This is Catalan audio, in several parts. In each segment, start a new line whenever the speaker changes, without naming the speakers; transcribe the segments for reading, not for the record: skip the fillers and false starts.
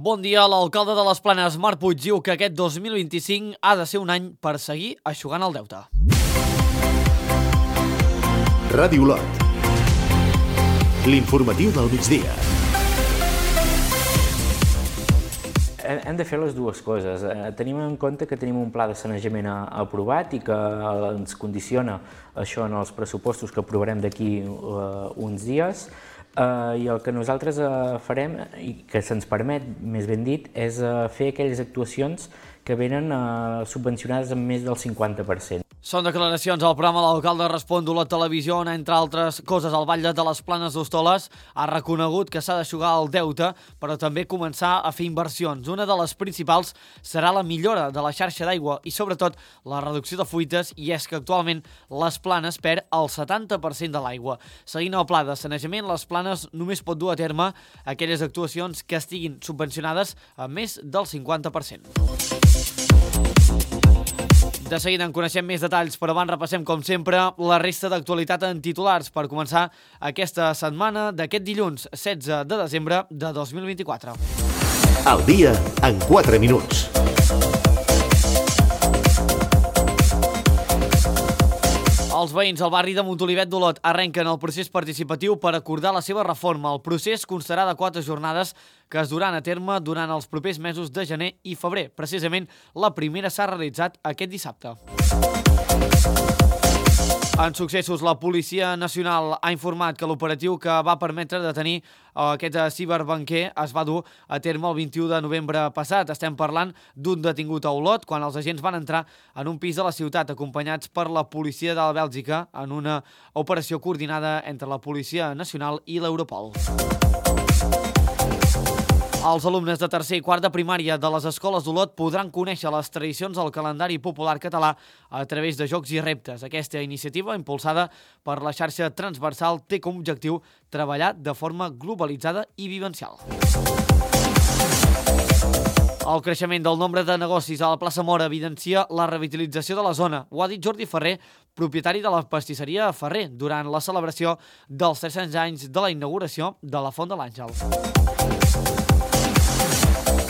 Bon dia. L'alcalde de les Planes, Marc Puig, diu que aquest 2025 ha de ser un any per seguir eixugant el deute.
Ràdio Olot. L'informatiu del migdia.
Hem de fer les dues coses. Tenim en compte que tenim un pla de sanejament aprovat i que ens condiciona això en els pressupostos que aprovarem d'aquí uns dies. I el que nosaltres farem, i que se'ns permet, més ben dit, és fer aquelles actuacions que venen subvencionades amb més del 50%.
Són declaracions al programa L'Alcalde Respon d'Olot Televisió, on, entre altres coses, el Batlle de les Planes d'Hostoles ha reconegut que s'ha d'eixugar el deute, però també començar a fer inversions. Una de les principals serà la millora de la xarxa d'aigua i, sobretot, la reducció de fuites, i és que actualment les Planes perd el 70% de l'aigua. Seguint el pla de sanejament, les Planes només pot dur a terme aquelles actuacions que estiguin subvencionades a més del 50%. De seguida en coneixem més detalls, però abans repassem, com sempre, la resta d'actualitat en titulars per començar aquesta setmana d'aquest dilluns 16 de desembre de 2024.
Al dia en 4 minuts.
Els veïns al barri de Montolivet d'Olot arrenquen el procés participatiu per acordar la seva reforma. El procés constarà de 4 jornades que es duran a terme durant els propers mesos de gener i febrer. Precisament, la primera s'ha realitzat aquest dissabte. En successos, la Policia Nacional ha informat que l'operatiu que va permetre detenir aquest ciberbanquer es va dur a terme el 21 de novembre passat. Estem parlant d'un detingut a Olot quan els agents van entrar en un pis de la ciutat acompanyats per la policia de Bèlgica en una operació coordinada entre la Policia Nacional i l'Europol. Els alumnes de tercer i quart de primària de les escoles d'Olot podran conèixer les tradicions del calendari popular català a través de jocs i reptes. Aquesta iniciativa, impulsada per la xarxa transversal, té com a objectiu treballar de forma globalitzada i vivencial. El creixement del nombre de negocis a la plaça Mora evidencia la revitalització de la zona. Ho ha dit Jordi Ferrer, propietari de la pastisseria Ferrer, durant la celebració dels 300 anys de la inauguració de la Font de l'Àngel.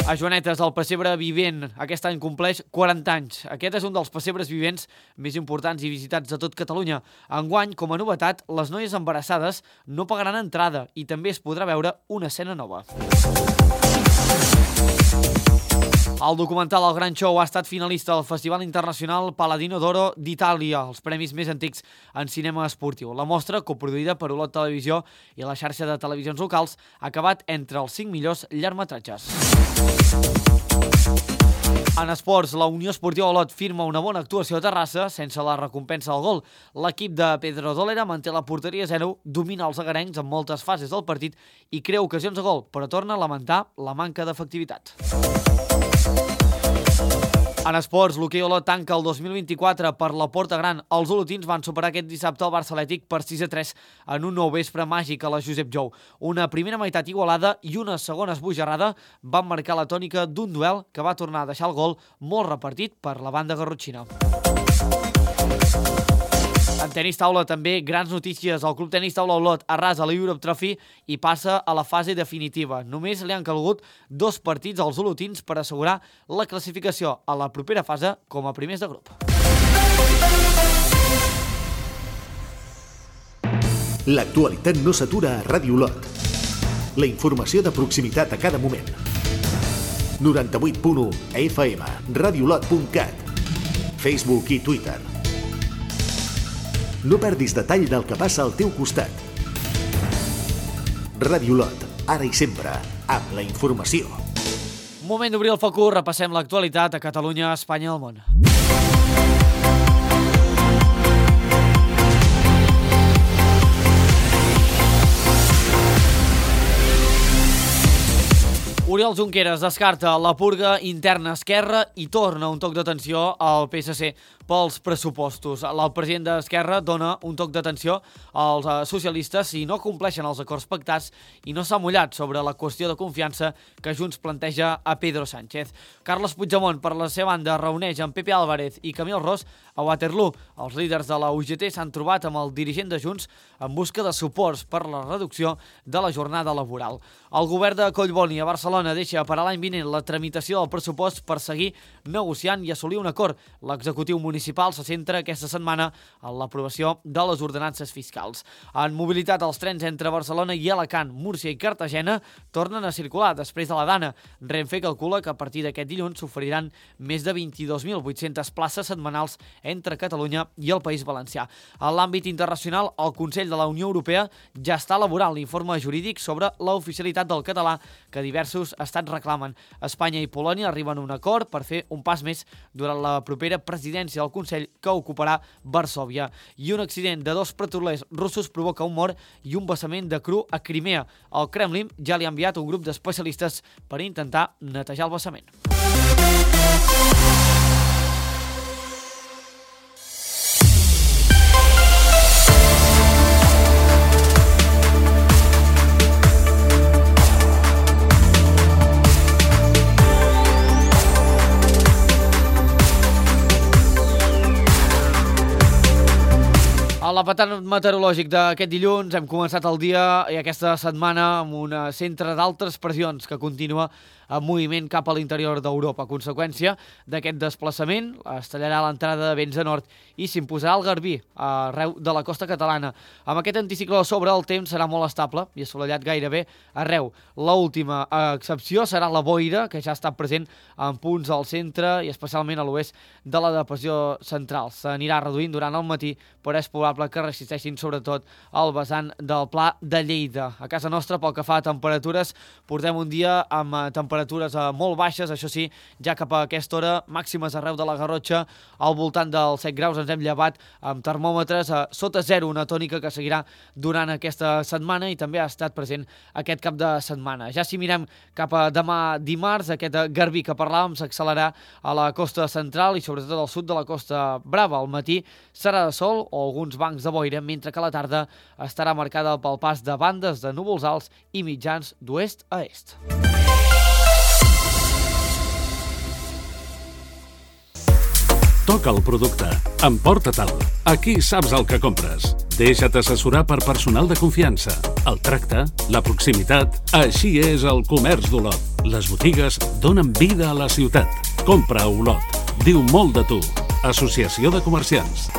A Joanetes, el pessebre vivent aquest any compleix 40 anys. Aquest és un dels pessebres vivents més importants i visitats de tot Catalunya. Enguany, com a novetat, les noies embarassades no pagaran entrada i també es podrà veure una escena nova. El documental El Gran Show ha estat finalista al Festival Internacional Paladino d'Oro d'Itàlia, els premis més antics en cinema esportiu. La mostra, coproduïda per Olot Televisió i la xarxa de televisions locals, ha acabat entre els 5 millors llargmetratges. En esports, la Unió Esportiva Olot firma una bona actuació a Terrassa sense la recompensa del gol. L'equip de Pedro Dolera manté la porteria 0, domina els agarencs en moltes fases del partit i crea ocasions de gol, però torna a lamentar la manca d'efectivitat. En esports, l'hoquei Olot tanca el 2024 per la Porta Gran. Els olotins van superar aquest dissabte el Barça Atlètic per 6-3 en un nou vespre màgic a la Josep Jou. Una primera meitat igualada i una segona esbojarrada van marcar la tònica d'un duel que va tornar a deixar el gol molt repartit per la banda garrotxina. En tenis taula també grans notícies. El Club Tenis Taula Olot arrasa la Europe Trophy i passa a la fase definitiva. Només li han calgut 2 partits als olotins per assegurar la classificació a la propera fase com a primers de grup.
L'actualitat no s'atura a Ràdio Olot. La informació de proximitat a cada moment. 98.1 FM, radiolot.cat, Facebook i Twitter. No perdis detall del que passa al teu costat. Ràdio Olot, ara i sempre, amb la informació.
Moment d'obrir el focus, repassem l'actualitat a Catalunya, Espanya i el món. Oriol Junqueras descarta la purga interna esquerra i torna un toc d'atenció al PSC. pels pressupostos. El president d'Esquerra dona un toc d'atenció als socialistes si no compleixen els acords pactats i no s'ha mullat sobre la qüestió de confiança que Junts planteja a Pedro Sánchez. Carles Puigdemont, per la seva banda, reuneix amb Pepe Álvarez i Camil Ros a Waterloo. Els líders de la UGT s'han trobat amb el dirigent de Junts en busca de suports per la reducció de la jornada laboral. El govern de Collboni a Barcelona deixa per a l'any vinent la tramitació del pressupost per seguir negociant i assolir un acord. L'executiu municipal se centra aquesta setmana en l'aprovació de les ordenances fiscals. En mobilitat, els trens entre Barcelona i Alacant, Múrcia i Cartagena tornen a circular després de la Dana. Renfe calcula que a partir d'aquest dilluns s'oferiran més de 22.800 places setmanals entre Catalunya i el País Valencià. En l'àmbit internacional, el Consell de la Unió Europea ja està elaborant l'informe jurídic sobre l'oficialitat del català que diversos estats reclamen. Espanya i Polònia arriben a un acord per fer un pas més durant la propera presidència del Consell que ocuparà Varsòvia. I un accident de 2 petrolers russos provoca un mort i un vessament de cru a Crimea. El Kremlin ja li ha enviat un grup d'especialistes per intentar netejar el vessament. A l'apartat meteorològic d'aquest dilluns hem començat el dia i aquesta setmana amb un centre d'altes pressions que continua en moviment cap a l'interior d'Europa. A conseqüència d'aquest desplaçament es tallarà l'entrada de vents de nord i s'imposarà el garbí arreu de la costa catalana. Amb aquest anticicló a sobre el temps serà molt estable i assolellat gairebé arreu. L'última excepció serà la boira, que ja ha estat present en punts al centre i especialment a l'oest de la depressió central. S'anirà reduint durant el matí, però és probable que resisteixin sobretot al vessant del Pla de Lleida. A casa nostra, pel que fa a temperatures, portem un dia amb temperatures molt baixes, això sí, ja cap a aquesta hora, màximes arreu de la Garrotxa, al voltant dels 7 graus ens hem llevat amb termòmetres sota zero, una tònica que seguirà durant aquesta setmana i també ha estat present aquest cap de setmana. Ja si mirem cap a demà dimarts, aquest garbí que parlàvem s'accelerarà a la costa central i sobretot al sud de la Costa Brava. Al matí serà de sol o alguns bancs de boira, mentre que la tarda estarà marcada pel pas de bandes de núvols alts i mitjans d'oest a est.
Toca el producte. Emporta-te'l. Aquí saps el que compres. Deixa't assessorar per personal de confiança. El tracte, la proximitat, així és el comerç d'Olot. Les botigues donen vida a la ciutat. Compra a Olot. Diu molt de tu. Associació de Comerciants.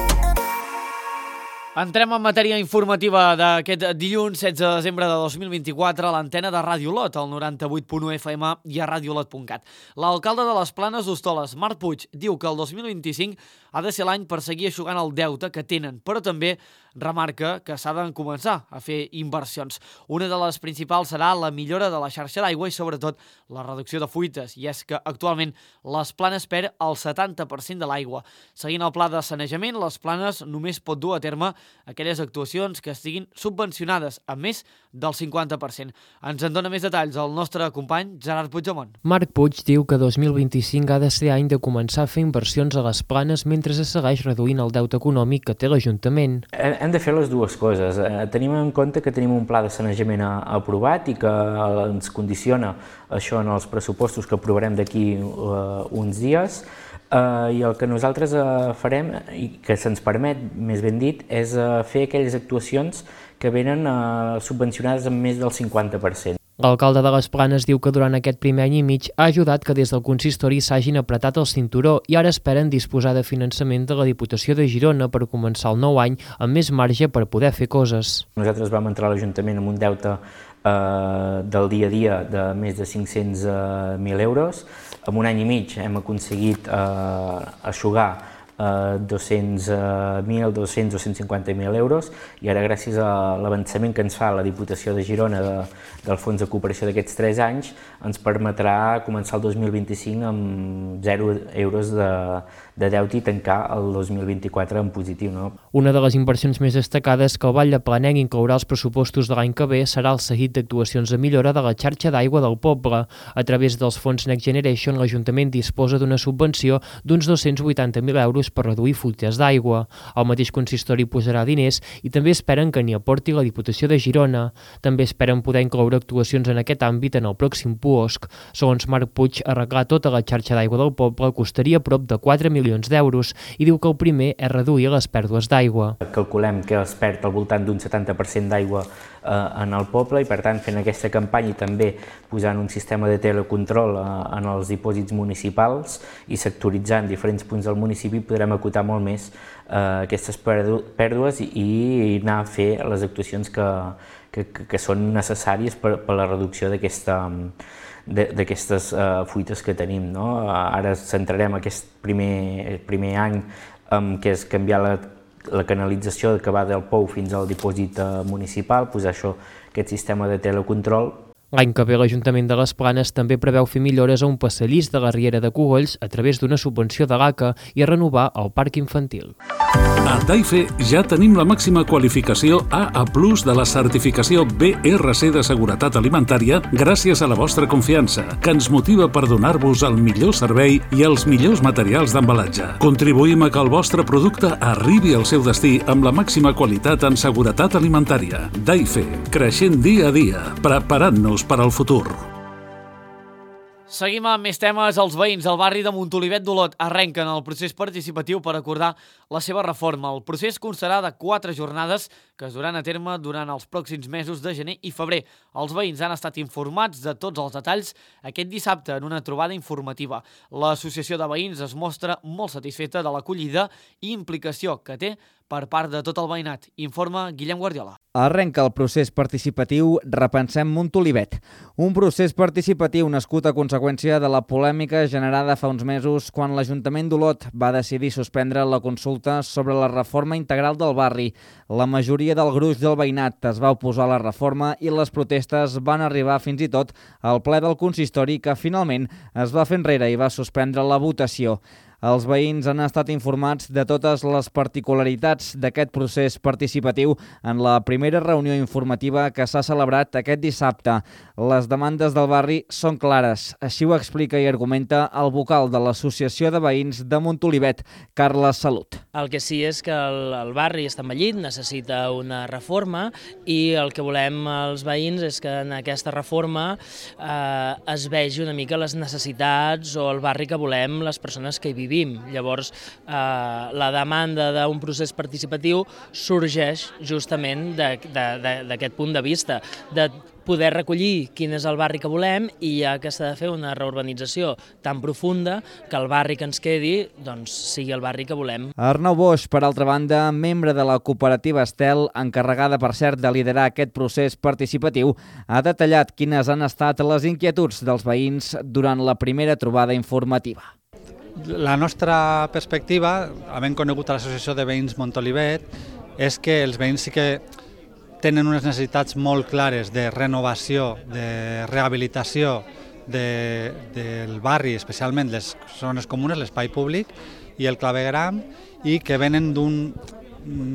Entrem en matèria informativa d'aquest dilluns 16 de desembre de 2024 a l'antena de Ràdio Olot, al 98.1 FM i a radiolot.cat. L'alcalde de les Planes d'Hostoles, Marc Puig, diu que el 2025 ha de ser l'any per seguir eixugant el deute que tenen, però també remarca que s'ha de començar a fer inversions. Una de les principals serà la millora de la xarxa d'aigua i sobretot la reducció de fuites, i és que actualment les Planes perd el 70% de l'aigua. Seguint el pla de sanejament, les Planes només pot dur a terme aquelles actuacions que estiguin subvencionades a més del 50%. Ens en dona més detalls el nostre company Gerard Puigdemont.
Marc Puig diu que 2025 ha de ser any de començar a fer inversions a les Planes mentre es segueix reduint el deute econòmic que té l'Ajuntament.
Hem de fer les dues coses. Tenim en compte que tenim un pla de sanejament aprovat i que ens condiciona això en els pressupostos que aprovarem d'aquí uns dies. I el que nosaltres farem, i que se'ns permet, més ben dit, és fer aquelles actuacions que venen subvencionades amb més del 50%.
L'alcalde de les Planes diu que durant aquest primer any i mig ha ajudat que des del consistori s'hagin apretat el cinturó i ara esperen disposar de finançament de la Diputació de Girona per començar el nou any amb més marge per poder fer coses.
Nosaltres vam entrar a l'Ajuntament amb un deute del dia a dia de més de 500.000 euros. En un any i mig hem aconseguit eixugar 200.000, 200 o 150.000 euros i ara gràcies a l'avançament que ens fa la Diputació de Girona del Fons de Cooperació d'aquests 3 anys ens permetrà començar el 2025 amb 0 euros de deute i tancar el 2024 en positiu. No?
Una de les inversions més destacades que el Vall de Planell inclourà als pressupostos de l'any que ve serà el seguit d'actuacions de millora de la xarxa d'aigua del poble. A través dels fons Next Generation, l'Ajuntament disposa d'una subvenció d'uns 280.000 euros mesures per reduir fuites d'aigua. El mateix consistori posarà diners i també esperen que n'hi aporti la Diputació de Girona. També esperen poder incloure actuacions en aquest àmbit en el pròxim PUOSC. Segons Marc Puig, arreglar tota la xarxa d'aigua del poble costaria prop de 4 milions d'euros i diu que el primer és reduir les pèrdues d'aigua.
Calculem que es perd al voltant d'un 70% d'aigua en el poble i, per tant, fent aquesta campanya i també posant un sistema de telecontrol en els dipòsits municipals i sectoritzant diferents punts del municipi podrem acotar molt més aquestes pèrdues i anar a fer les actuacions que són necessàries per la reducció d'aquestes fuites que tenim. Ara centrarem aquest primer any que és canviar la canalització que va del pou fins al dipòsit municipal, posar aquest sistema de telecontrol.
L'any que ve l'Ajuntament de les Planes també preveu fer millores a un passadís de la Riera de Cogolls a través d'una subvenció de l'ACA i a renovar el parc infantil.
A Taife ja tenim la màxima qualificació AA+ de la certificació BRC de seguretat alimentària gràcies a la vostra confiança, que ens motiva per donar-vos el millor servei i els millors materials d'embalatge. Contribuïm a que el vostre producte arribi al seu destí amb la màxima qualitat en seguretat alimentària. Taife, creixent dia a dia, preparant-nos per al futur.
Seguim amb més temes. Els veïns del barri de Montolivet d'Olot arrenquen el procés participatiu per acordar la seva reforma. El procés constarà de 4 jornades que es duran a terme durant els pròxims mesos de gener i febrer. Els veïns han estat informats de tots els detalls aquest dissabte en una trobada informativa. L'associació de veïns es mostra molt satisfeta de l'acollida i implicació que té per part de tot el veïnat, informa Guillem Guardiola.
Arrenca el procés participatiu Repensem Montolivet, un procés participatiu nascut a conseqüència de la polèmica generada fa uns mesos quan l'Ajuntament d'Olot va decidir suspendre la consulta sobre la reforma integral del barri. La majoria del gruix del veïnat es va oposar a la reforma i les protestes van arribar fins i tot al ple del consistori que finalment es va fer enrere i va suspendre la votació. Els veïns han estat informats de totes les particularitats d'aquest procés participatiu en la primera reunió informativa que s'ha celebrat aquest dissabte. Les demandes del barri són clares, així ho explica i argumenta el vocal de l'Associació de Veïns de Montolivet, Carles Salut.
El que sí és que el barri està envellit, necessita una reforma i el que volem els veïns és que en aquesta reforma es vegi una mica les necessitats o el barri que volem les persones que hi vivim. Llavors, la demanda d'un procés participatiu sorgeix justament d'aquest punt de vista, de poder recollir quin és el barri que volem i ja que s'ha de fer una reurbanització tan profunda que el barri que ens quedi sigui el barri que volem.
Arnau Boix, per altra banda, membre de la cooperativa Estel, encarregada per cert de liderar aquest procés participatiu, ha detallat quines han estat les inquietuds dels veïns durant la primera trobada informativa.
La nostra perspectiva, havent conegut a l'Associació de Veïns Montolivet, és que els veïns sí que tenen unes necessitats molt clares de renovació, de rehabilitació del barri, especialment les zones comunes, l'espai públic i el clavegueram, i que venen d'un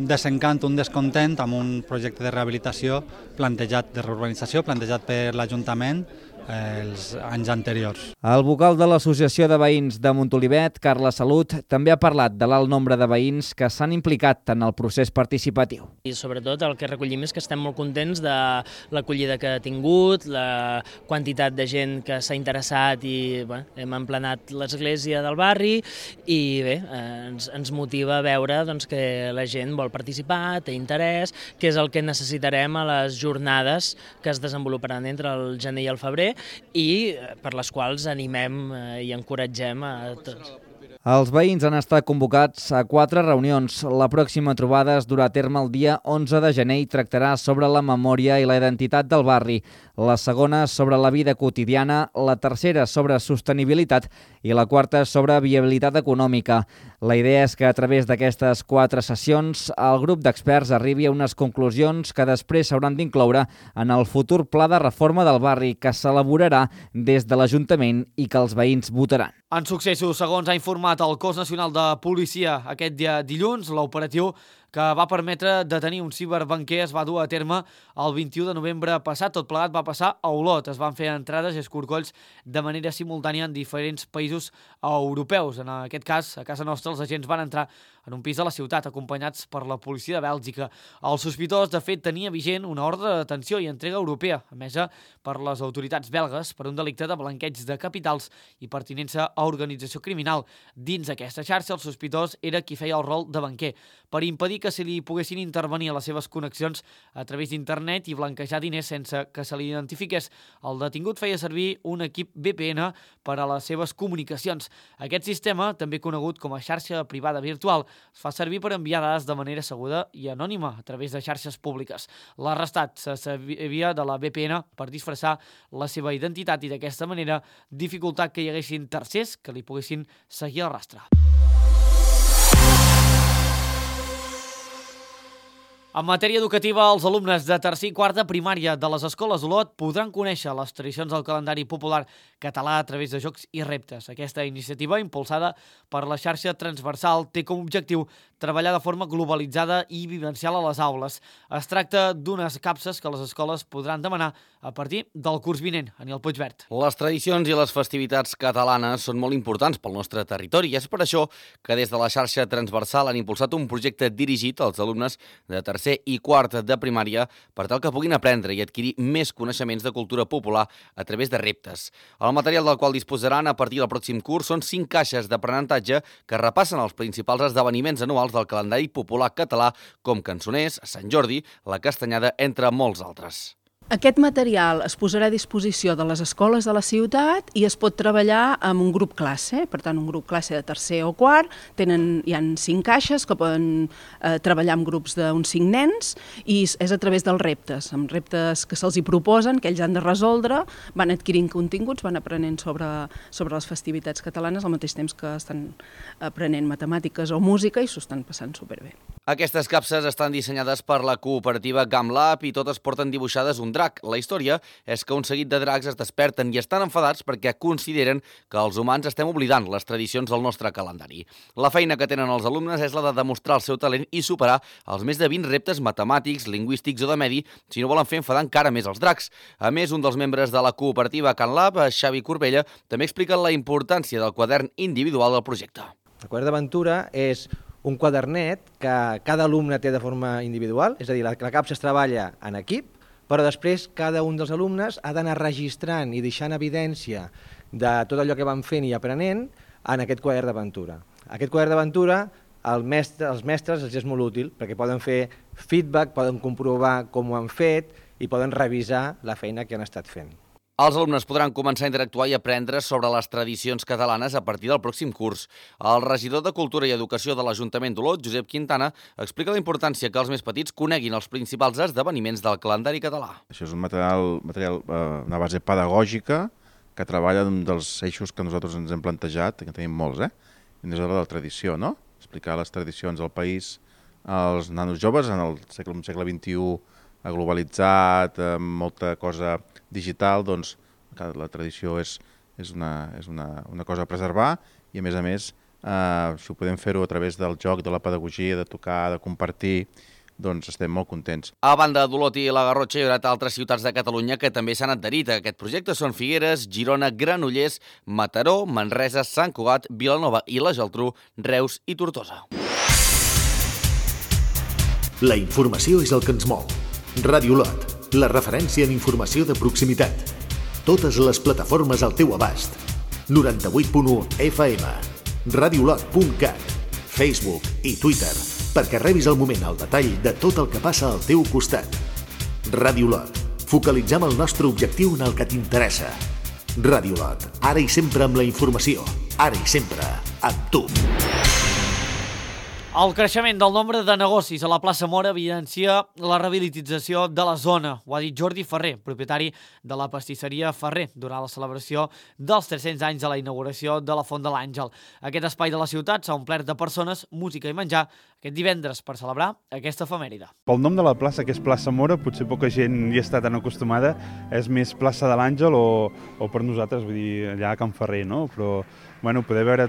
desencant, un descontent amb un projecte de rehabilitació plantejat, de reurbanització, plantejat per l'Ajuntament els anys anteriors.
El vocal de l'Associació de Veïns de Montolivet, Carles Salut, també ha parlat de l'alt nombre de veïns que s'han implicat en el procés participatiu.
I sobretot el que recollim és que estem molt contents de l'acollida que ha tingut, la quantitat de gent que s'ha interessat i hem emplenat l'església del barri i bé, ens motiva a veure que la gent vol participar, té interès, que és el que necessitarem a les jornades que es desenvoluparan entre el gener i el febrer i per les quals animem i encoratgem a tots.
Els veïns han estat convocats a 4 reunions. La pròxima trobada es durà a terme el dia 11 de gener i tractarà sobre la memòria i la identitat del barri. La segona sobre la vida quotidiana, la tercera sobre sostenibilitat i la quarta sobre viabilitat econòmica. La idea és que a través d'aquestes 4 sessions el grup d'experts arribi a unes conclusions que després s'hauran d'incloure en el futur pla de reforma del barri que s'elaborarà des de l'Ajuntament i que els veïns votaran.
En successos, segons ha informat el Cos Nacional de Policia aquest dia dilluns, l'operatiu que va permetre detenir un ciberbanquer es va dur a terme el 21 de novembre passat. Tot plegat va passar a Olot. Es van fer entrades i escorcolls de manera simultània en diferents països europeus. En aquest cas, a casa nostra, els agents van entrar en un pis de la ciutat, acompanyats per la policia de Bèlgica. El sospitós, de fet, tenia vigent una ordre de detenció i entrega europea, emesa per les autoritats belgues per un delicte de blanqueig de capitals i pertinença a organització criminal. Dins aquesta xarxa, el sospitós era qui feia el rol de banquer, per impedir que se li poguessin intervenir a les seves connexions a través d'internet i blanquejar diners sense que se li identifiqués. El detingut feia servir un equip VPN per a les seves comunicacions. Aquest sistema, també conegut com a xarxa privada virtual, es fa servir per enviar dades de manera segura i anònima a través de xarxes públiques. L'arrestat se servia de la VPN per disfressar la seva identitat i d'aquesta manera dificultar que hi haguessin tercers que li poguessin seguir el rastre. En matèria educativa, els alumnes de tercer i quart de primària de les escoles d'Olot podran conèixer les tradicions del calendari popular català a través de jocs i reptes. Aquesta iniciativa, impulsada per la xarxa transversal, té com a objectiu treballar de forma globalitzada i vivencial a les aules. Es tracta d'unes capses que les escoles podran demanar a partir del curs vinent. Aniel Puigvert.
Les tradicions i les festivitats catalanes són molt importants pel nostre territori i és per això que des de la xarxa transversal han impulsat un projecte dirigit als alumnes de tercer i quart de primària per tal que puguin aprendre i adquirir més coneixements de cultura popular a través de reptes. El material del qual disposaran a partir del pròxim curs són 5 caixes d'aprenentatge que repassen els principals esdeveniments anuals del calendari popular català com Cançoners, Sant Jordi, la Castanyada, entre molts altres.
Aquest material es posarà a disposició de les escoles de la ciutat i es pot treballar amb un grup classe, per tant un grup classe de tercer o quart, hi ha 5 caixes que poden treballar amb grups d'uns 5 nens i és a través dels reptes, amb reptes que se'ls hi proposen, que ells han de resoldre, van adquirint continguts, van aprenent sobre les festivitats catalanes al mateix temps que estan aprenent matemàtiques o música i s'ho estan passant superbé.
Aquestes capses estan dissenyades per la cooperativa GamLab i totes porten dibuixades un drac. La història és que un seguit de dracs es desperten i estan enfadats perquè consideren que els humans estem oblidant les tradicions del nostre calendari. La feina que tenen els alumnes és la de demostrar el seu talent i superar els més de 20 reptes matemàtics, lingüístics o de medi si no volen fer enfadar encara més els dracs. A més, un dels membres de la cooperativa GamLab, Xavi Corbella, també explica la importància del quadern individual del projecte.
El quadern d'aventura és un quadernet que cada alumne té de forma individual, és a dir, la capsa es treballa en equip, però després cada un dels alumnes ha d'anar registrant i deixant evidència de tot allò que van fent i aprenent en aquest quadern d'aventura. Aquest quadern d'aventura als mestres els és molt útil perquè poden fer feedback, poden comprovar com ho han fet i poden revisar la feina que han estat fent.
Els alumnes podran començar a interactuar i aprendre sobre les tradicions catalanes a partir del pròxim curs. El regidor de Cultura i Educació de l'Ajuntament d'Olot, Josep Quintana, explica la importància que els més petits coneguin els principals esdeveniments del calendari català.
Això és un material una base pedagògica que treballa un dels eixos que nosaltres ens hem plantejat, que tenim molts, i és la de la tradició, no? Explicar les tradicions del país als nanos joves en el segle XXI globalitzat, amb molta cosa digital, doncs la tradició és una cosa a preservar i a més, si ho podem fer-ho a través del joc, de la pedagogia, de tocar, de compartir, doncs estem molt contents.
A banda d'Olot i la Garrotxa, hi haurà altres ciutats de Catalunya que també s'han adherit a aquest projecte. Són Figueres, Girona, Granollers, Mataró, Manresa, Sant Cugat, Vilanova i la Geltrú, Reus i Tortosa.
La informació és el que ens mou. Ràdio Olot, la referència en informació de proximitat. Totes les plataformes al teu abast. 98.1 FM, radiolot.cat, Facebook i Twitter, perquè rebis al moment el detall de tot el que passa al teu costat. Ràdio Olot, focalitzem el nostre objectiu en el que t'interessa. Ràdio Olot, ara i sempre amb la informació, ara i sempre amb tu.
El creixement del nombre de negocis a la plaça Mora evidencia la rehabilitació de la zona. Ho ha dit Jordi Ferrer, propietari de la pastisseria Ferrer, durant la celebració dels 300 anys de la inauguració de la Font de l'Àngel. Aquest espai de la ciutat s'ha omplert de persones, música i menjar aquest divendres per celebrar aquesta efemèride.
Pel nom de la plaça, que és plaça Mora, potser poca gent hi està tan acostumada, és més plaça de l'Àngel o per nosaltres, vull dir, allà a Can Ferrer, no? Però, bueno, poder veure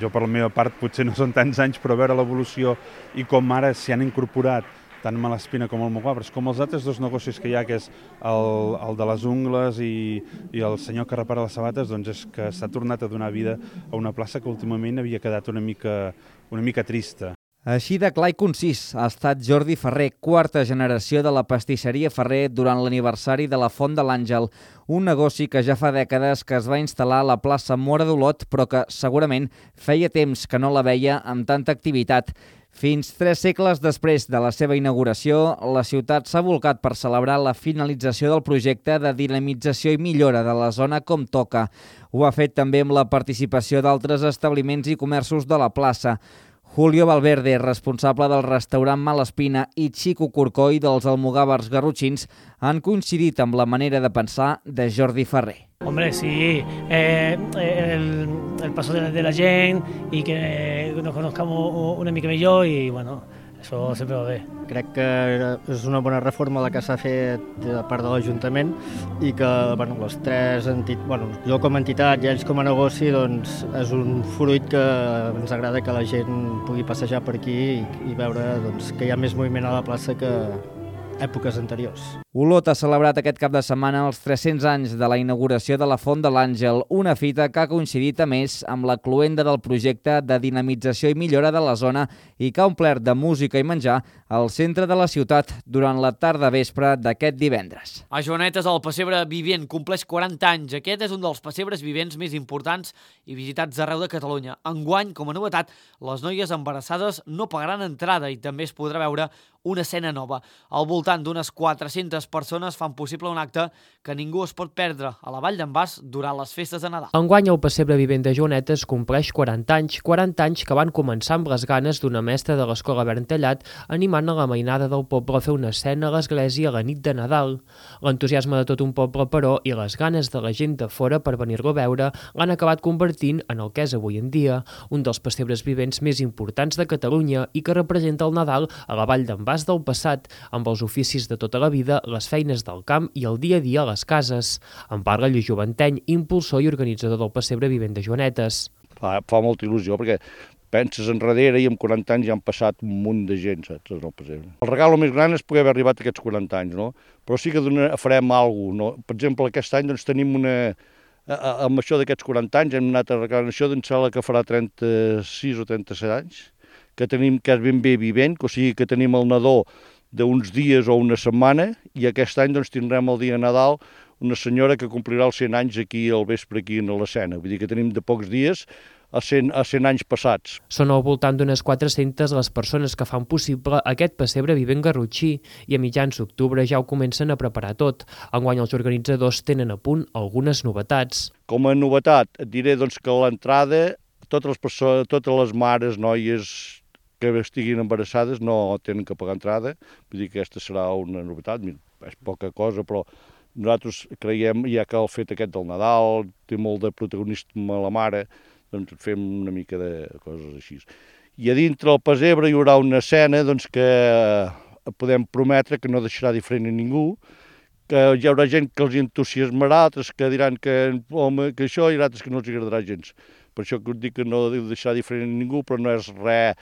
jo per la meva part potser no són tants anys, però veure l'evolució i com ara s'hi han incorporat tant Malaspina com el Moguabres, com els altres dos negocis que hi ha, que és el de les ungles i el senyor que repara les sabates, doncs és que s'ha tornat a donar vida a una plaça que últimament havia quedat una mica trista.
Així de clar i concís ha estat Jordi Ferrer, quarta generació de la pastisseria Ferrer durant l'aniversari de la Font de l'Àngel, un negoci que ja fa dècades que es va instal·lar a la plaça Móra d'Olot, però que segurament feia temps que no la veia amb tanta activitat. Fins 3 segles després de la seva inauguració, la ciutat s'ha volcat per celebrar la finalització del projecte de dinamització i millora de la zona com toca. Ho ha fet també amb la participació d'altres establiments i comerços de la plaça. Julio Valverde, responsable del restaurant Malaspina, i Chico Corcoy dels Almogàvers Garrotxins han coincidit amb la manera de pensar de Jordi Ferrer.
Hombre, sí, el paso de la gent i que nos conozcamos una mica millor i, bueno, això sempre va bé.
Crec que és una bona reforma la que s'ha fet de part de l'Ajuntament i que les tres entitats, jo com a entitat i ells com a negoci, doncs és un fruit que ens agrada que la gent pugui passejar per aquí i veure que hi ha més moviment a la plaça que èpoques anteriors.
Olot ha celebrat aquest cap de setmana els 300 anys de la inauguració de la Font de l'Àngel, una fita que ha coincidit a més amb la cloenda del projecte de dinamització i millora de la zona i que ha omplert de música i menjar al centre de la ciutat durant la tarda vespre d'aquest divendres.
A Joanetes el pessebre vivent compleix 40 anys. Aquest és un dels pessebres vivents més importants i visitats arreu de Catalunya. Enguany, com a novetat, les noies embarassades no pagaran entrada i també es podrà veure una escena nova. Al voltant d'unes 400 persones fan possible un acte que ningú es pot perdre a la Vall d'en Bas durant les festes de Nadal.
Enguany el pessebre vivent de Joanetes compleix 40 anys que van començar amb les ganes d'una mestra de l'escola Berntallat animant a la mainada del poble a fer una escena a l'església a la nit de Nadal. L'entusiasme de tot un poble, però, i les ganes de la gent de fora per venir-lo a veure l'han acabat convertint en el que és avui en dia, un dels pessebres vivents més importants de Catalunya i que representa el Nadal a la Vall d'en Bas del passat, amb els oficis de tota la vida, les feines del camp i el dia a dia a les cases. En parla Lluís Joventeny, impulsor i organitzador del pessebre vivent de Joanetes.
Fa molta il·lusió, perquè penses enrere i amb 40 anys ja han passat un munt de gent, saps, en el pessebre. El regal més gran és poder haver arribat a aquests 40 anys, no? Però sí que farem alguna cosa, no? Per exemple, aquest any doncs, tenim amb això d'aquests 40 anys hem anat arreglant això d'en sala que farà 36 o 37 anys, que tenim que és ben bé vivent, o sigui que tenim el nadó d'uns dies o una setmana, i aquest any doncs, tindrem el dia de Nadal una senyora que complirà els 100 anys aquí al vespre, aquí a l'escena. Vull dir que tenim de pocs dies a 100 anys passats.
Són al voltant d'unes 400 les persones que fan possible aquest pessebre vivent garrotxí i a mitjans d'octubre ja ho comencen a preparar tot. Enguany els organitzadors tenen a punt algunes novetats.
Com a novetat et diré doncs, que a l'entrada totes les mares, noies que estiguin embarassades no tenen que pagar entrada, vull dir que aquesta serà una novetat, és poca cosa, però nosaltres creiem, ja que el fet aquest del Nadal té molt de protagonisme a la mare, doncs fem una mica de coses així. I a dintre del pessebre hi haurà una escena doncs, que podem prometre que no deixarà diferent a ningú, que hi haurà gent que els entusiasmarà, altres que diran que això i altres que no els agradarà gens. Per això que us dic que no deixarà diferent a ningú, però no és res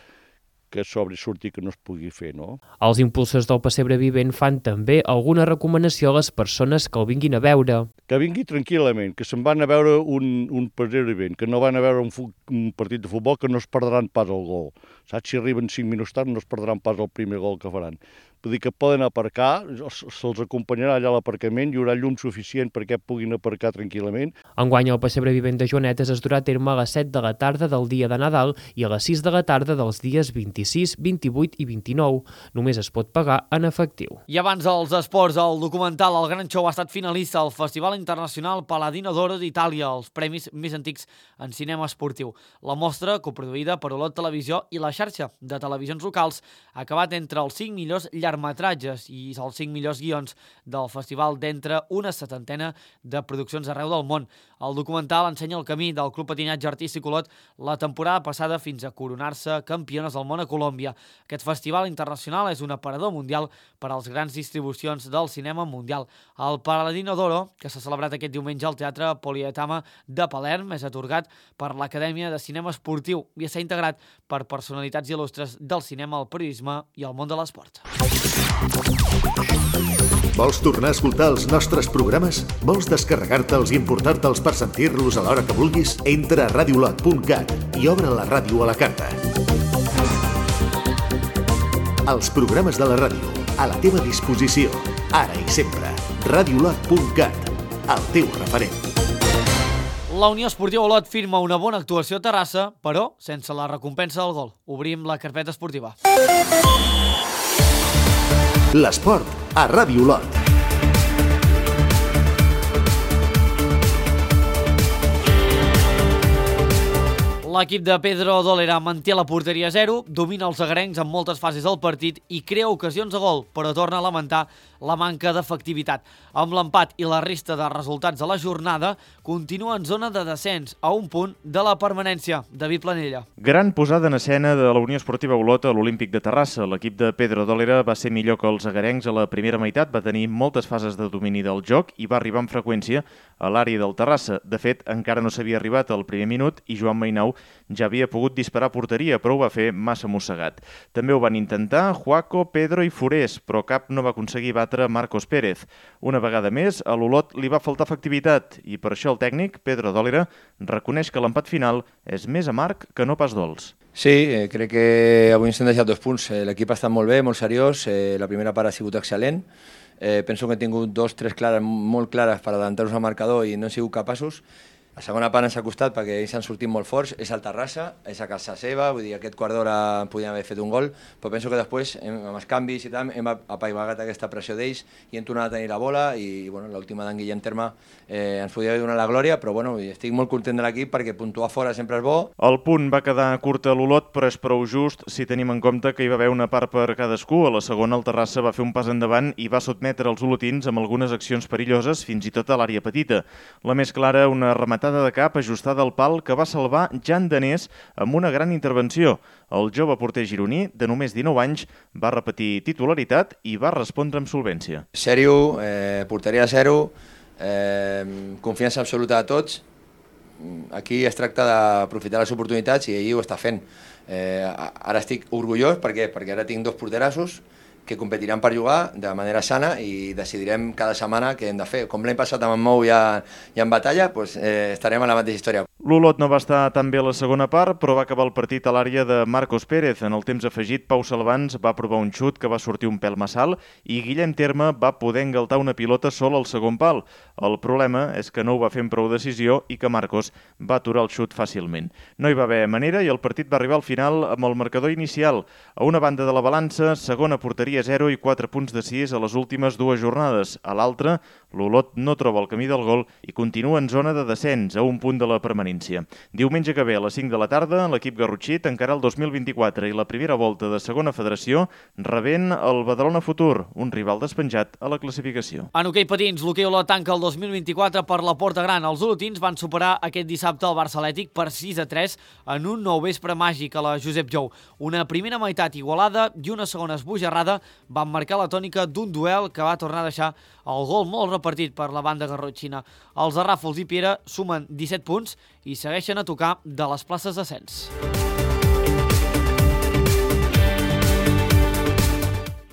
que sobresurti que no es pugui fer, no?
Els impulsors del pessebre vivent fan també alguna recomanació a les persones que el vinguin a veure.
Que vingui tranquil·lament, que se'n van a veure un pessebre vivent, que no van a veure un partit de futbol, que no es perdran pas el gol. Saps? Si arriben 5 minuts tard no es perdran pas el primer gol que faran. Vull dir que poden aparcar, se'ls acompanyarà allà a l'aparcament, hi haurà llum suficient perquè puguin aparcar tranquil·lament.
Enguany el pessebre vivent de Joanetes es durà a terme a les 7 de la tarda del dia de Nadal i a les 6 de la tarda dels dies 26, 28 i 29. Només es pot pagar en efectiu.
I abans dels esports, el documental El Gran Show ha estat finalista al Festival Internacional Paladino d'Oro d'Itàlia, els premis més antics en cinema esportiu. La mostra, coproduïda per Olot Televisió i la xarxa de televisions locals, ha acabat entre els 5 millors llargmetratges llargmetratges i els 5 millors guions del festival d'entre una 70 de produccions arreu del món. El documental ensenya el camí del Club Patinatge Artístic Olot la temporada passada fins a coronar-se campiones del món a Colòmbia. Aquest festival internacional és un aparador mundial per als grans distribucions del cinema mundial. El Paladino d'Oro, que s'ha celebrat aquest diumenge al Teatre Polietama de Palerm, és atorgat per l'Acadèmia de Cinema Esportiu i està integrat per personalitats il·lustres del cinema, el periodisme i el món de l'esport.
Vols tornar a escoltar els nostres programes? Vols descarregar-te'ls i importar-te'ls per sentir-los a l'hora que vulguis? Entra a radiolot.cat i obre la ràdio a la carta. Els programes de la ràdio, a la teva disposició, ara i sempre. Radiolot.cat, el teu referent.
La Unió Esportiva Olot firma una bona actuació a Terrassa, però sense la recompensa del gol. Obrim la carpeta esportiva.
L'esport a Ràdio Olot.
L'equip de Pedro Dólera manté la porteria a 0, domina els agarencs en moltes fases del partit i crea ocasions de gol, però torna a lamentar la manca d'efectivitat. Amb l'empat i la resta de resultats de la jornada, continua en zona de descens, a un punt de la permanència. David Planella.
Gran posada en escena de la Unió Esportiva Olot a l'Olímpic de Terrassa. L'equip de Pedro Dólera va ser millor que els agarencs a la primera meitat, va tenir moltes fases de domini del joc i va arribar amb freqüència a l'àrea del Terrassa. De fet, encara no s'havia arribat al primer minut i Joan Mainau ja havia pogut disparar a porteria, però ho va fer massa mossegat. També ho van intentar Juaco, Pedro i Forés, però cap no va aconseguir batre Marcos Pérez. Una vegada més, a l'Olot li va faltar efectivitat i per això el tècnic, Pedro Dólera, reconeix que l'empat final és més amarg que no pas dolç.
Sí, crec que avui ens hem deixat 2 punts. L'equip ha estat molt bé, molt seriós, la primera part ha sigut excel·lent. Penso que hem tingut 2-3 clares, molt clares per adelantar-nos al marcador i no hem sigut capaços. La segona part ens ha costat perquè ells han sortit molt forts, és al Terrassa, és a casa seva, vull dir, aquest quart d'hora podíem haver fet un gol, però penso que després, amb els canvis i tal, hem apaivagat aquesta pressió d'ells i hem tornat a tenir la bola i bueno, l'última d'en Guillem Terme ens podia haver donat la glòria, però bueno, estic molt content de l'equip perquè puntuar fora sempre és bo.
El punt va quedar curt a l'Olot, però és prou just si tenim en compte que hi va haver una part per cadascú. A la segona, el Terrassa va fer un pas endavant i va sotmetre els olotins amb algunes accions perilloses fins i tot a l'àrea petita. La més clara, una rematada de cap ajustada al pal que va salvar Jan Danés amb una gran intervenció. El jove porter gironí, de només 19 anys, va repetir titularitat i va respondre amb solvència.
Sèrio, porteria a 0, confiança absoluta a tots. Aquí es tracta d'aprofitar les oportunitats i ell ho està fent. Ara estic orgullós perquè ara tinc 2 porterassos que competiran per jugar de manera sana i decidirem cada setmana què hem de fer. Com l'any passat amb en Mou i en Batalla, doncs, estarem a la mateixa història.
L'Olot no va estar tan bé a la segona part, però va acabar el partit a l'àrea de Marcos Pérez. En el temps afegit, Pau Salvans va provar un xut que va sortir un pèl massa alt i Guillem Terme va poder engaltar una pilota sol al segon pal. El problema és que no ho va fer amb prou decisió i que Marcos va aturar el xut fàcilment. No hi va haver manera i el partit va arribar al final amb el marcador inicial. A una banda de la balança, segona porteria 0 i 4 punts decidits a les últimes 2 jornades. A l'altra, l'Olot no troba el camí del gol i continua en zona de descens, a un punt de la permanència. Diumenge que ve a les 5 de la tarda, l'equip garrotxí tancarà el 2024 i la primera volta de segona federació rebent el Badalona Futur, un rival despenjat a la classificació.
En hoquei patins, l'hoquei Olot tanca el 2024 per la Porta Gran. Els olotins van superar aquest dissabte el Barça Atlètic per 6-3 en un nou vespre màgic a la Josep Jou. Una primera meitat igualada i una segona esbojarrada van marcar la tònica d'un duel que va tornar a deixar el gol molt repartit per la banda garrotxina. Els de Ràfols i Piera sumen 17 punts i segueixen a tocar de les places d'ascens.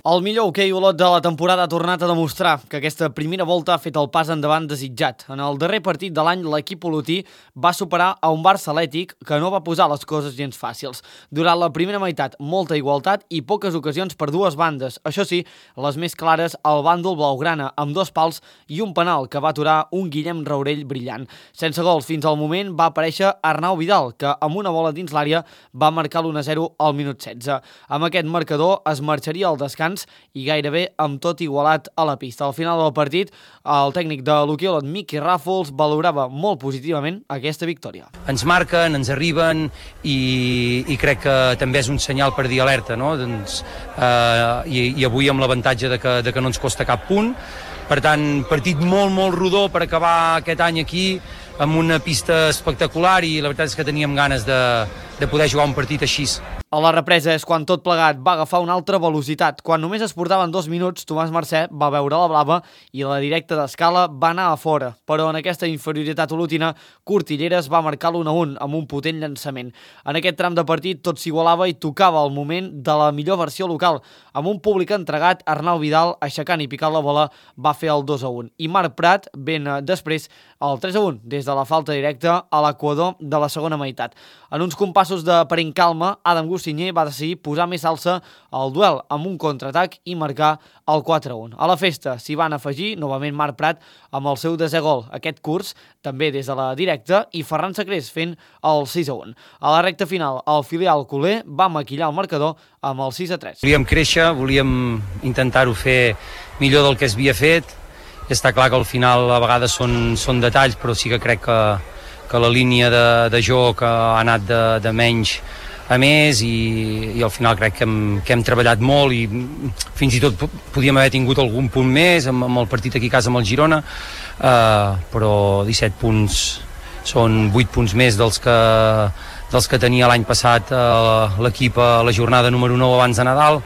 El millor hoquei Olot de la temporada ha tornat a demostrar que aquesta primera volta ha fet el pas endavant desitjat. En el darrer partit de l'any, l'equip olotí va superar a un Barça Atlètic que no va posar les coses gens fàcils. Durant la primera meitat, molta igualtat i poques ocasions per dues bandes. Això sí, les més clares al bàndol blaugrana, amb 2 pals i un penal que va aturar un Guillem Raurell brillant. Sense gols fins al moment va aparèixer Arnau Vidal, que amb una bola dins l'àrea va marcar l'1-0 al minut 16. Amb aquest marcador es marxaria al descans intens i gairebé amb tot igualat a la pista. Al final del partit, el tècnic de l'Hoquei Olot, Miqui Ràfols, valorava molt positivament aquesta victòria.
Ens marquen, ens arriben i crec que també és un senyal per dir alerta, no? Doncs, i avui amb l'avantatge de que no ens costa cap punt. Per tant, partit molt rodó per acabar aquest any aquí, amb una pista espectacular i la veritat és que teníem ganes de poder jugar un partit així.
A la represa és quan tot plegat va agafar una altra velocitat. Quan només es portaven 2 minuts, Tomàs Mercè va veure la blava i la directa d'escala va anar a fora. Però en aquesta inferioritat olotina, Cortilleres va marcar l'1-1 amb un potent llançament. En aquest tram de partit tot s'igualava i tocava el moment de la millor versió local. Amb un públic entregat, Arnau Vidal, aixecant i picant la bola, va fer el 2-1. I Marc Prat, ben després, el 3-1, des de la falta directa a l'equador de la segona meitat. En uns compassos d'aparent calma, Adam Gostinyer va decidir posar més alça al duel amb un contraatac i marcar el 4-1. A la festa s'hi van afegir novament Marc Prat amb el seu 10è gol aquest curs, també des de la directa, i Ferran Sacrés fent el 6-1. A la recta final, el filial culer va maquillar el marcador amb el 6-3.
Volíem créixer, volíem intentar-ho fer millor del que es havia fet. Està clar que al final a vegades són detalls, però sí que crec que la línia de joc ha anat de menys a més i al final crec que hem treballat molt i fins i tot podíem haver tingut algun punt més amb el partit aquí a casa amb el Girona, però 17 punts són 8 punts més dels que tenia l'any passat l'equip a la jornada número 9 abans de Nadal,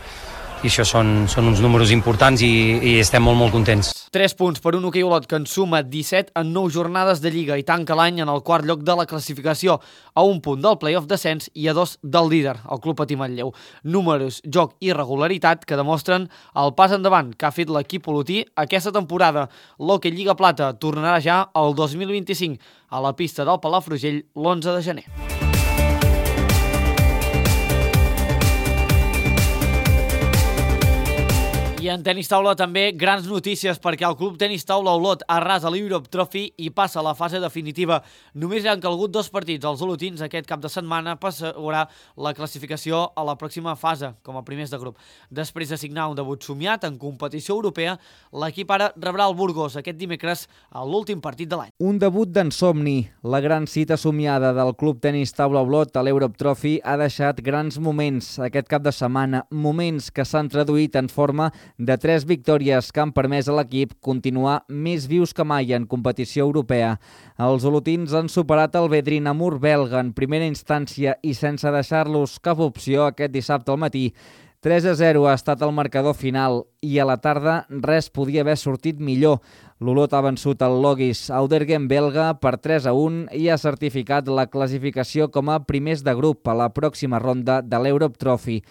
i això són uns números importants i estem molt contents.
3 punts per un Hoquei Olot que en suma 17 en 9 jornades de Lliga i tanca l'any en el quart lloc de la classificació, a 1 punt del play-off descens i a 2 del líder, el Club Patí Manlleu. Números, joc i regularitat que demostren el pas endavant que ha fet l'equip olotí aquesta temporada. L'Hoquei Lliga Plata tornarà ja el 2025 a la pista del Palafrugell l'11 de gener. I en tenis taula també grans notícies perquè el Club Tenis Taula Olot arrasa l'Europe Trophy i passa a la fase definitiva. Només han calgut 2 partits als olotins aquest cap de setmana per assegurar la classificació a la pròxima fase com a primers de grup. Després de signar un debut somiat en competició europea, l'equip ara rebrà el Burgos aquest dimecres a l'últim partit de l'any.
Un debut d'ensomni. La gran cita somiada del Club Tenis Taula Olot a l'Europe Trophy ha deixat grans moments aquest cap de setmana, moments que s'han traduït en forma de 3 victòries que han permès a l'equip continuar més vius que mai en competició europea. Els olotins han superat el Vedrin-Amur belga en primera instància i sense deixar-los cap opció aquest dissabte al matí. 3-0 ha estat el marcador final i a la tarda res podia haver sortit millor. L'Olot ha vençut el Logis Auderghem belga per 3-1 i ha certificat la classificació com a primers de grup a la pròxima ronda de l'Europe Trophy.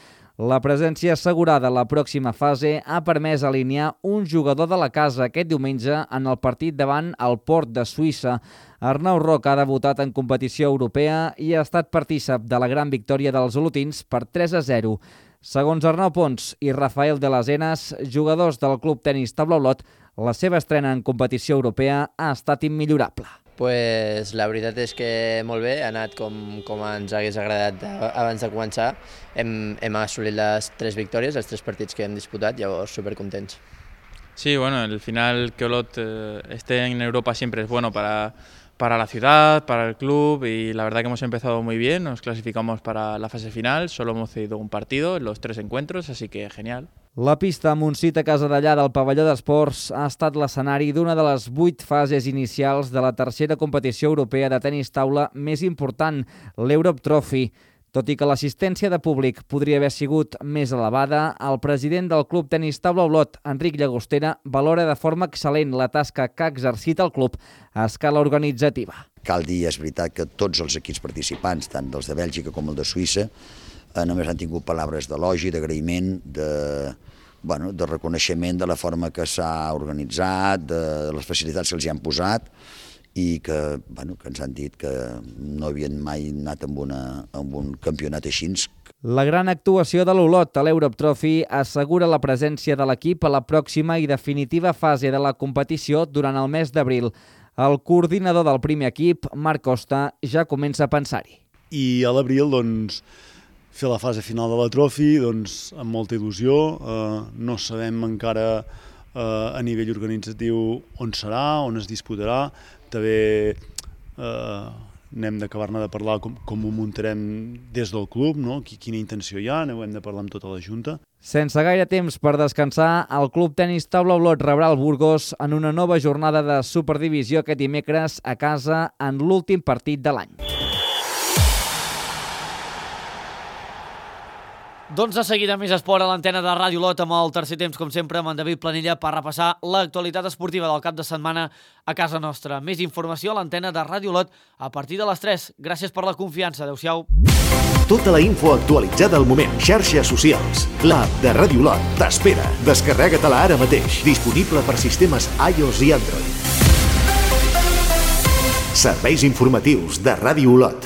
La presència assegurada a la pròxima fase ha permès alinear un jugador de la casa aquest diumenge en el partit davant el Port de Suïssa. Arnau Roca ha debutat en competició europea i ha estat partícip de la gran victòria dels olotins per 3-0. Segons Arnau Pons i Rafael de les Henes, jugadors del Club Tenis Taula Olot, la seva estrena en competició europea ha estat immillorable.
Pues la veritat és que molt bé, ha anat com ens hagués agradat abans de començar. Hem assolit les 3 victòries, els 3 partits que hem disputat, llavors supercontents.
Sí, bueno, al final que Olot esté en Europa siempre es bueno para la ciudad, para el club, y la verdad que hemos empezado muy bien, nos clasificamos para la fase final, solo hemos cedido un partido en los 3 encuentros, así que genial.
La pista Montsit a Casadellà del pavelló d'esports ha estat l'escenari d'una de les 8 fases inicials de la tercera competició europea de tenis taula més important, l'Europe Trophy. Tot i que l'assistència de públic podria haver sigut més elevada, el president del Club Tenis Taula Olot, Enric Llagostera, valora de forma excel·lent la tasca que ha exercit el club a escala organitzativa.
Cal dir, és veritat, que tots els equips participants, tant dels de Bèlgica com el de Suïssa, només han tingut paraules d'elogi, d'agraïment, de reconeixement de la forma que s'ha organitzat, de les facilitats que els hi han posat i que ens han dit que no havien mai anat amb un campionat així.
La gran actuació de l'Olot a l'Europe Trophy assegura la presència de l'equip a la pròxima i definitiva fase de la competició durant el mes d'abril. El coordinador del primer equip, Marc Costa, ja comença a pensar-hi.
I a l'abril, doncs,
fer la fase final de la Trophy, doncs amb molta il·lusió. No sabem encara a nivell organitzatiu on serà, on es disputarà. També n'hem d'acabar-ne de parlar com ho muntarem des del club, no? Quina intenció hi ha, ho hem de parlar amb tota la Junta.
Sense gaire temps per descansar, el Club Tenis Taula Olot rebrà el Burgos en una nova jornada de Superdivisió aquest dimecres a casa en l'últim partit de l'any.
Doncs de seguida més esport a l'antena de Ràdio Olot amb el tercer temps, com sempre, amb en David Planella per repassar l'actualitat esportiva del cap de setmana a casa nostra. Més informació a l'antena de Ràdio Olot a partir de les 3. Gràcies per la confiança. Adéu-siau.
Tota la info actualitzada al moment. Xarxes socials. L'app de Ràdio Olot t'espera. Descarrega-te-la ara mateix. Disponible per sistemes iOS i Android. Serveis informatius de Ràdio Olot.